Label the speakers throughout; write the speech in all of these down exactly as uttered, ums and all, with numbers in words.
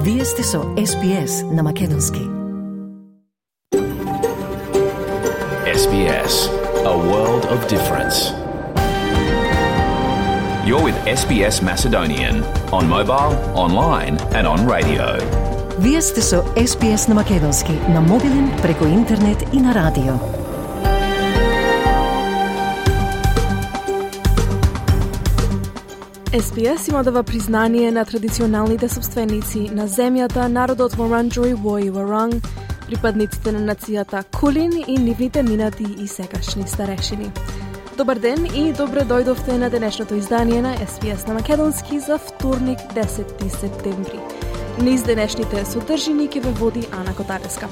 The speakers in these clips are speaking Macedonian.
Speaker 1: Вие сте со Ес Би Ес на Македонски.
Speaker 2: Ес Би Ес, a world of difference. You're with Ес Би Ес Macedonian on mobile, online and on radio.
Speaker 1: Вие сте со Ес Би Ес на Македонски, на мобилен, преку интернет и на радио.
Speaker 3: Ес Би Ес има дава признание на традиционалните собственици на земјата, народот Вуранџој Вој Варанг, припадниците на нацијата Кулин и нивните минати и сегашни старешини. Добар ден и добре дојдовте на денешното издание на Ес Би Ес на Македонски за вторник, десети септември. Низ денешните содржини ќе ве води Ана Котареска.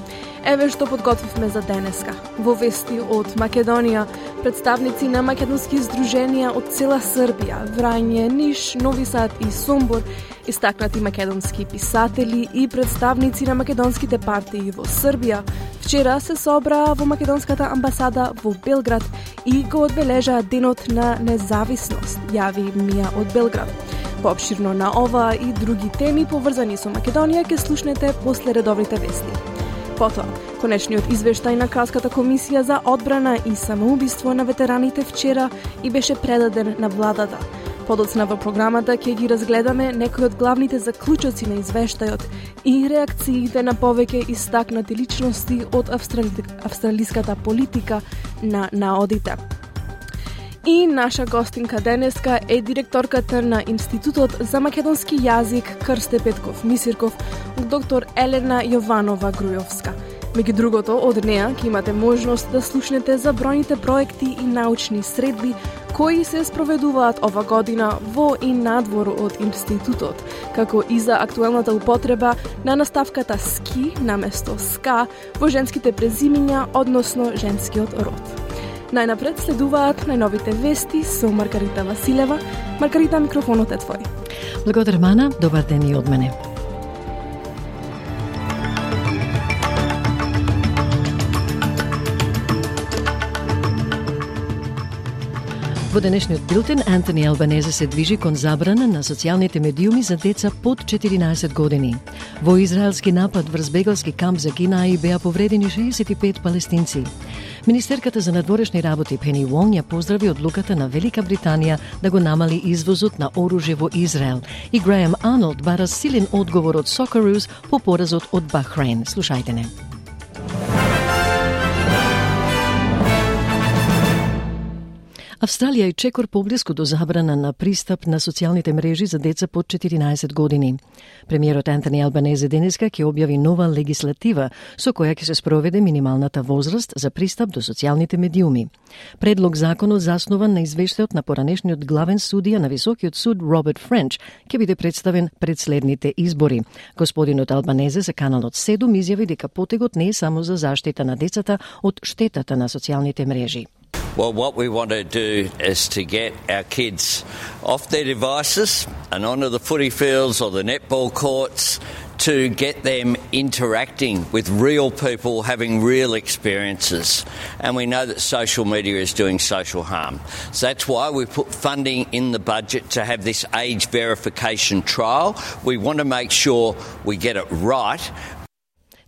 Speaker 3: Еве што подготвивме за денеска. Во вести од Македонија, представници на македонски здруженија од цела Србија, Врање, Ниш, Нови Сад и Сомбор, истакнати македонски писатели и представници на македонските партии во Србија, вчера се собраа во македонската амбасада во Белград и го одбележаа денот на независност, јави Мија од Белград. Пообширно на ова и други теми поврзани со Македонија ќе слушнете после редовните вести. Потоа, конечниот извештај на Кралската комисија за одбрана и самоубиство на ветераните вчера и беше предаден на владата. Подоцна во програмата ќе ги разгледаме некои од главните заклучоци на извештајот и реакциите на повеќе истакнати личности од австрали... австралиската политика на наодите. И наша гостинка денеска е директорката на Институтот за македонски јазик Крсте Петков Мисирков, доктор Елена Јованова Грујовска. Меѓу другото, од неа ќе имате можност да слушнете за бројните проекти и научни средби кои се спроведуваат ова година во и надвор од Институтот, како и за актуелната употреба на наставката ски наместо ска во женските презимиња, односно женскиот род. Најнапред следуваат најновите вести со Маргарита Василева. Маргарита, микрофонот е твој.
Speaker 1: Благодарам, Ана. Добар ден и од мене. Во денешниот билтен, Антони Албанезе се движи кон забрана на социјалните медиуми за деца под четиринаесет години. Во израелски напад врз бегалски камп за Кинаи беа повредени шеесет и пет палестинци. Министерката за надворешни работи Пени Вонг ја поздрави одлуката на Велика Британија да го намали извозот на оружје во Израел и Греем Арнолд бара силен одговор од Сокероос по поразот од Бахрейн. Слушајте не. Австралија и чекор поблиску до забрана на пристап на социјалните мрежи за деца под четиринаесет години. Премиерот Антони Албанезе денеска ќе објави нова легислатива со која ќе се спроведе минималната возраст за пристап до социјалните медиуми. Предлог законот заснуван на извештајот на поранешниот главен судија на Високиот суд Роберт Френч ќе биде представен пред следните избори. Господинот Албанезе за каналот седум изјави дека потегот не е само за заштита на децата од штетата на социјалните мрежи.
Speaker 4: Well, what we want to do is to get our kids off their devices and onto the footy fields or the netball courts to get them interacting with real people, having real experiences. And we know that social media is doing social harm. So that's why we put funding in the budget to have this age verification trial. We want to make sure we get it right.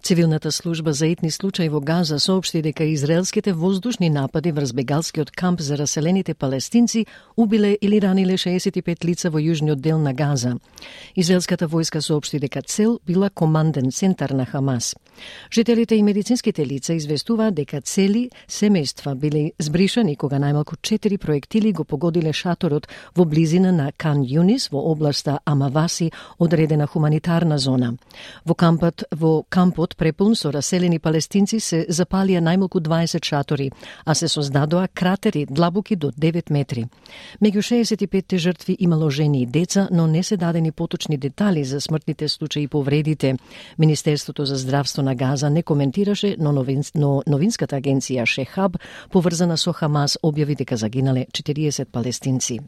Speaker 1: Цивилната служба за етни случаи во Газа соопшти дека израелските воздушни напади врз бегалскиот камп за раселените палестинци убиле или раниле шеесет и пет лица во јужниот дел на Газа. Израелската војска соопшти дека цел била команден центар на Хамас. Жителите и медицинските лица известуваат дека цели семејства биле збришани кога најмалку четири проектили го погодиле шаторот во близина на Кан Юнис во областа Амаваси, одредена хуманитарна зона. Во кампот во кампот препун со раселени палестинци се запалија најмалку дваесет шатори, а се создадоа кратери длабоки до девет метри. Меѓу шеесет и петте жртви имало жени и деца, но не се дадени поточни детали за смртните случаи и повредите. Министерството за здравство на Газа не коментираше, но, новин, но новинската агенција Шехаб, поврзана со Хамас, објави дека загинале четириесет палестинци.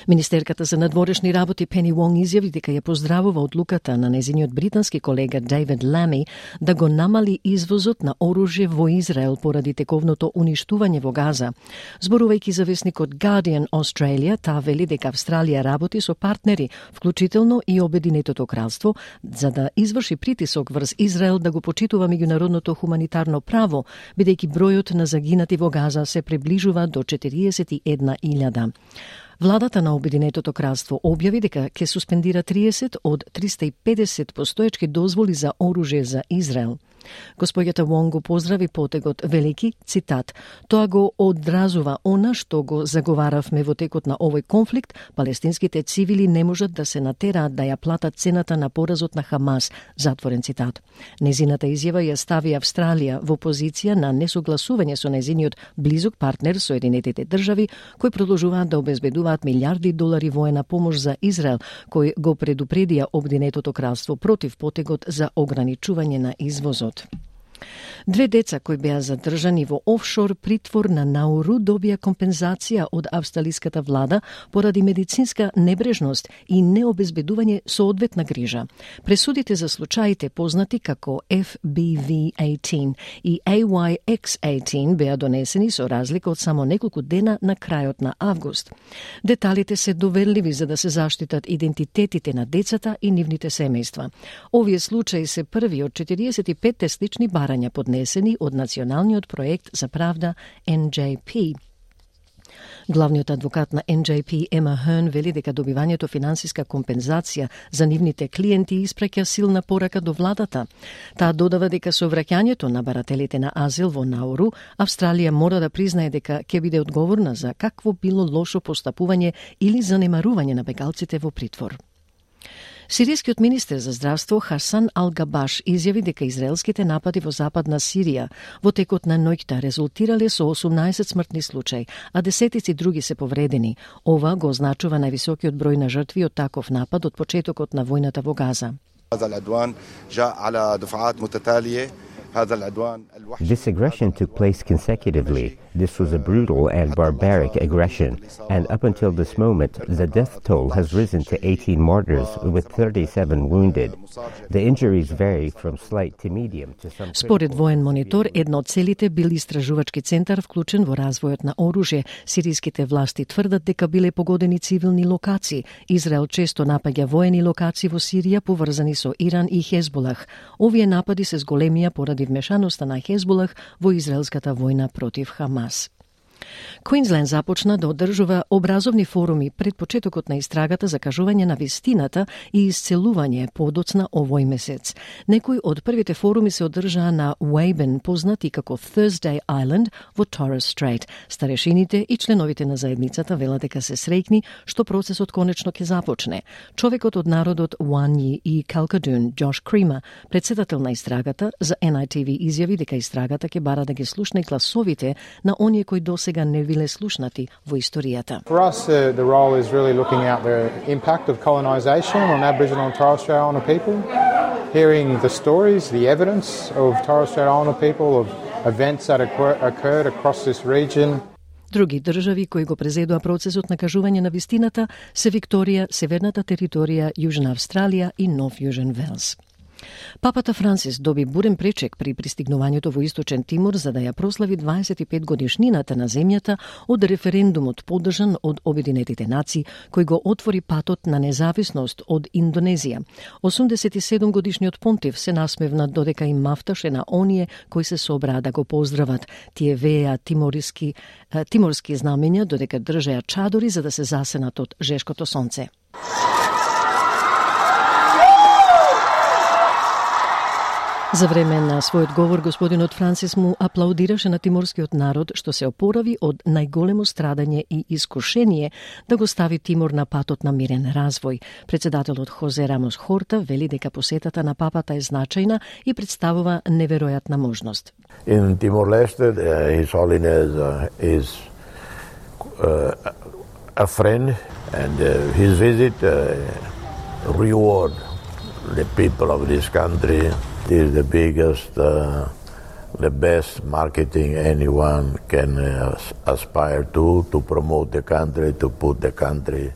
Speaker 1: Министерката за надворешни работи Пени Вонг изјави дека ја поздравува одлуката на незиниот британски колега Дейвид Лами да го намали извозот на оружје во Израел поради тековното уништување во Газа. Зборувајќи за весникот Guardian Australia, таа вели дека Австралија работи со партнери, вклучително и Обединетото кралство, за да изврши притисок врз Израел да го почитува меѓународното хуманитарно право, бидејќи бројот на загинати во Газа се приближува до четириесет и една илјада. Владата на Обединетото кралство објави дека ќе суспендира триесет од триста и педесет постоечки дозволи за оружје за Израел. Господјата Вонг го поздрави потегот, велики, цитат, тоа го одразува она што го заговаравме во текот на овој конфликт, палестинските цивили не можат да се натераат да ја платат цената на поразот на Хамас, затворен цитат. Незината изјава ја стави Австралија во позиција на несогласување со незиниот близок партнер Соединетите држави, кои продолжуваат да обезбедуваат милиарди долари воена помош за Израел, кој го предупредија Обединетото кралство против потегот за ограничување на извозот. Две деца кои беа задржани во офшор притвор на Науру добија компензација од австралиската влада поради медицинска небрежност и необезбедување соодветна грижа. Пресудите за случаите познати како F B V eighteen и A Y X eighteen беа донесени со разлика од само неколку дена на крајот на август. Деталите се доверливи за да се заштитат идентитетите на децата и нивните семејства. Овие случаи се први од четириесет и пет слични барања поднесени од националниот проект за правда N J P. Главниот адвокат на N J P, Ема Херн, вели дека добивањето финансиска компензација за нивните клиенти испраќа силна порака до владата. Таа додава дека со враќањето на барателите на азил во Науру, Австралија мора да признае дека ќе биде одговорна за какво било лошо постапување или занемарување на бегалците во притвор. Сиријскиот министер за здравство Хасан Ал-Габаш изјави дека израелските напади во западна Сирија во текот на ноќта резултирале со осумнаесет смртни случаи, а десетици други се повредени. Ова го означува највисокиот број на жртви од таков напад од почетокот на војната во Газа.
Speaker 5: This aggression took place consecutively. This was a brutal and barbaric aggression, and up until this moment, the death toll has risen to eighteen martyrs with thirty-seven wounded. The injuries vary from slight to medium to some.
Speaker 1: Според воен монитор, една од целите бил истражувачки центар вклучен во развојот на оружје. Сириските власти тврдат дека биле погодени цивилни локации. Израел често напаѓа воени локации во Сирија поврзани со Иран и Хезболах. Овие напади се зголемија поради вмешаноста на Хезболах во израелската војна против Хамас. Квинсленд започна да одржува образовни форуми пред почетокот на истрагата за кажување на вистината и исцелување подоцна овој месец. Некои од првите форуми се одржаа на Уейбен, познати како Thursday Island во Torres Strait. Старешините и членовите на заедницата велат дека се среќни што процесот конечно ќе започне. Човекот од народот Уанји и Калкадун, Джош Крима, председател на истрагата, за N I T V изјави дека истрагата ќе бара да ги слушне гласовите на оние кои досега не биле слушнати во историјата.
Speaker 6: For us, uh, the role is really looking at the impact of colonisation on Aboriginal and Torres Strait Islander people, hearing the stories, the evidence of Torres Strait Islander people, of events that occurred across this region.
Speaker 1: Други држави кои го презедоа процесот на кажување на вистината се Викторија, Северната територија, Јужна Австралија и Нов Јужен Велс. Папата Франсис доби бурен пречек при пристигнувањето во Источен Тимор за да ја прослави дваесет и пет годишнината на земјата од референдумот поддржан од Обединетите нации, кој го отвори патот на независност од Индонезија. осумдесет и седум годишниот понтив се насмевна додека им мафташе на оние кои се собраа да го поздрават. Тие вееа тиморски, тиморски знамења додека држеа чадори за да се засенат од жешкото сонце. За време на својот говор, господинот Франсис му аплаудираше на тиморскиот народ што се опорави од најголемо страдање и искушение да го стави Тимор на патот на мирен развој. Председателот Хозе Рамос Хорта вели дека посетата на папата е значајна и представува неверојатна можност.
Speaker 7: In Timor-Leste, uh, His Holiness uh, is uh, a friend, and uh, his visit uh, reward the people of this country. It is the biggest, uh, the best marketing anyone can uh, aspire to, to promote the country, to put the country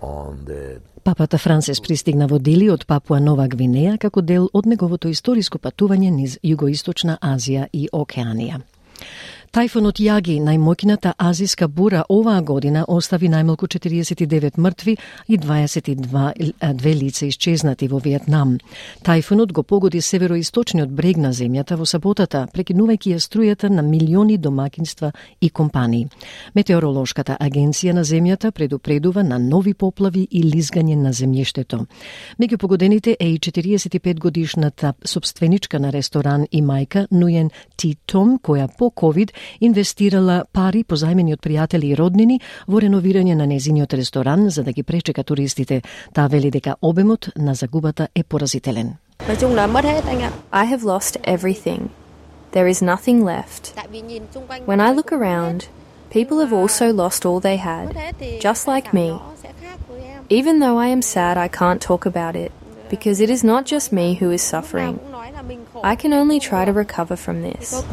Speaker 7: on the
Speaker 1: Папата Францис пристигна во Дили од Папуа Нова Гвинеја како дел од неговото историско патување низ Југоисточна Азија и Океанија. Тајфунот Јаги, најмоќната азиска бура оваа година, остави најмалку четириесет и девет мртви и дваесет и две лица исчезнати во Виетнам. Тајфунот го погоди североисточниот брег на земјата во саботата, прекинувајќи ја струјата на милиони домакинства и компании. Метеоролошката агенција на земјата предупредува на нови поплави и лизгање на земјиштето. Меѓу погодените е и четириесет и пет годишната собственичка на ресторан и мајка Нујен Ти Том, која по ковид инвестирала пари позајмени од пријатели и роднини во реновирање на незиниот ресторан за да ги пречека туристите. Таа вели дека обемот на загубата е поразителен.
Speaker 8: I have lost everything. There is nothing left. When I look around, people have also lost all they had, just like me. Even though I am sad, I can't talk about it, because it is not just me who is suffering. I can only try to recover from this.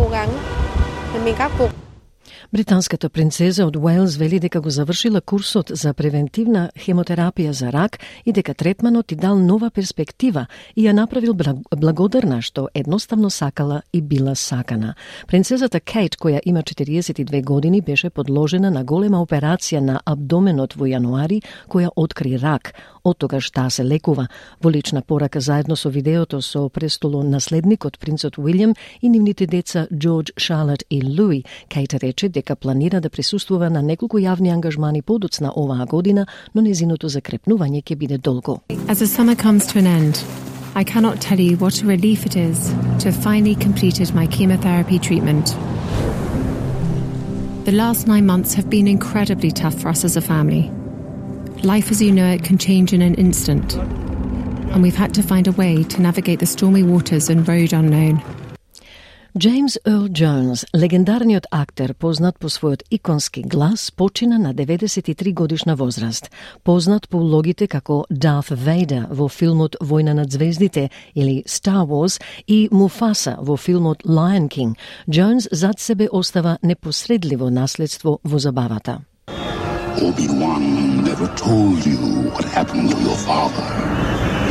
Speaker 1: Британската принцеза од Уелс вели дека го завршила курсот за превентивна хемотерапија за рак и дека третманот и дал нова перспектива и ја направил благодарна што едноставно сакала и била сакана. Принцезата Кейт, која има четириесет и две години, беше подложена на голема операција на абдоменот во јануари, која откри рак. Од тогаш таа се лекува. Во лична порака заедно со видеото со престолонаследникот принцот Уилјам и нивните деца Џорџ, Шарлот и Луи, Кейт рече дека планира да присуствува на неколку јавни ангажмани подоцна оваа година, но незиното закрепнување ќе биде долго.
Speaker 9: As the summer comes to an end, I cannot tell you what a relief it is to have finally completed my chemotherapy treatment. The last nine months have been incredibly tough for us as a family. Life as you know it can change in an instant, and we've had to find a way to navigate the stormy waters and road unknown.
Speaker 1: Джеймс Ерл Джонс, легендарниот актер, познат по својот иконски глас, почина на деветдесет и три годишна возраст. Познат по улогите како Дарth Vader во филмот Војна над звездите или Star Wars и Муфаса во филмот Lion King, Джонс зад себе остава непосредливо наследство во забавата.
Speaker 10: Obi-Wan never told you what happened to your father.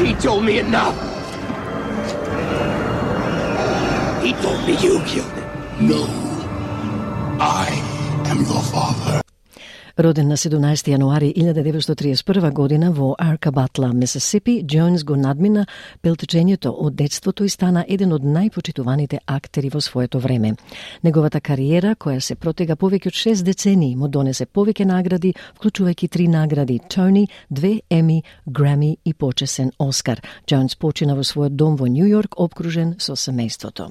Speaker 10: He told me enough. He told me you killed him. No. I am your father.
Speaker 1: Роден на седумнаесети јануари илјада деветстотини триесет и прва година во Аркабатла, Мисисипи, Джонс го надмина пелтчењето од детството и стана еден од најпочитуваните актери во своето време. Неговата кариера, која се протега повеќе од шест децении, му донесе повеќе награди, вклучувајќи три награди Тони, две Еми, Грами и почесен Оскар. Джонс почина во својот дом во Њу Јорк, обкружен со семејството.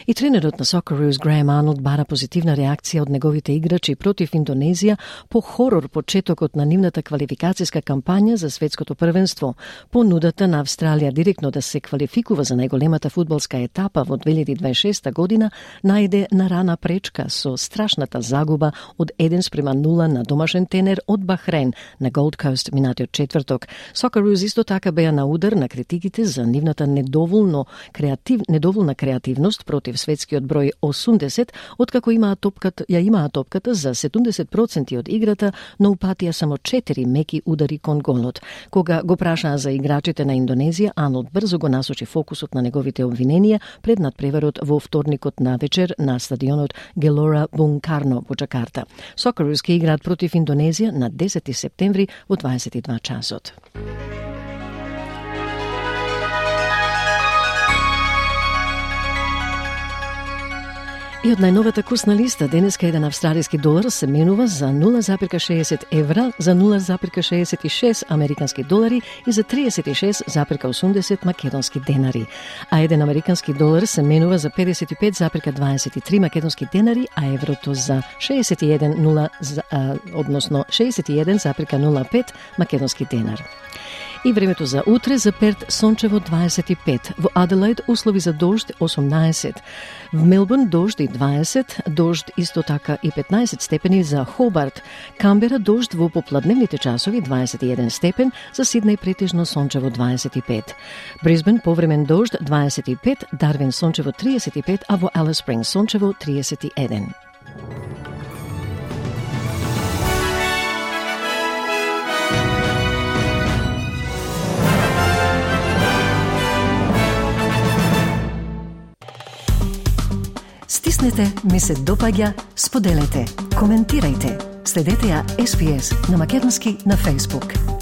Speaker 1: И тренерот на Socceroos Греем Арнолд бара позитивна реакција од неговите играчи против Индонезија по хорор почетокот на нивната квалификацијска кампања за светското првенство. Понудата на Австралија директно да се квалификува за најголемата фудбалска етапа во две илјади дваесет и шеста година најде на рана пречка со страшната загуба од еден спрема нула на домашен тенер од Бахрейн на Голд Коуст минатиот четврток. Socceroos исто така беа на удар на критиките за нивната недоволно креатив, недоволна креативност против светскиот број осумдесет, откако имаат топката, ја имаат топката за седумдесет проценти од играта, но упатија само четири меки удари кон голот. Кога го прашаа за играчите на Индонезија, Арнолд брзо го насочи фокусот на неговите обвиненија пред надпреварот во вторникот на вечер на стадионот Gelora Bung Karno во Джакарта. Socceroos ќе играат против Индонезија на десети септември во дваесет и два часот. И од најновата курсна листа, денеска еден австралиски долар се менува за нула запирка шеесет евра, за нула запирка шеесет и шест американски долари и за триесет и шест запирка осумдесет македонски денари. А еден американски долар се менува за педесет и пет запирка дваесет и три македонски денари, а еврото за шеесет и еден, нула, а, односно шеесет и еден запирка нула пет македонски денар. И времето за утре: за Перт сончево дваесет и пет, во Аделаид услови за дожд осумнаесет, в Мелбурн дожд и дваесет, дожд исто така и петнаесет степени за Хобарт, Камбера дожд во попладневните часови дваесет и еден степен, за Сиднеј претежно сончево дваесет и пет, Брисбен повремен дожд дваесет и пет, Дарвин сончево триесет и пет, а во Алис Спрингс сончево триесет и еден. натиснете ми се допаѓа, споделете, коментирајте. Следете ја Ес Би Ес на македонски на Facebook.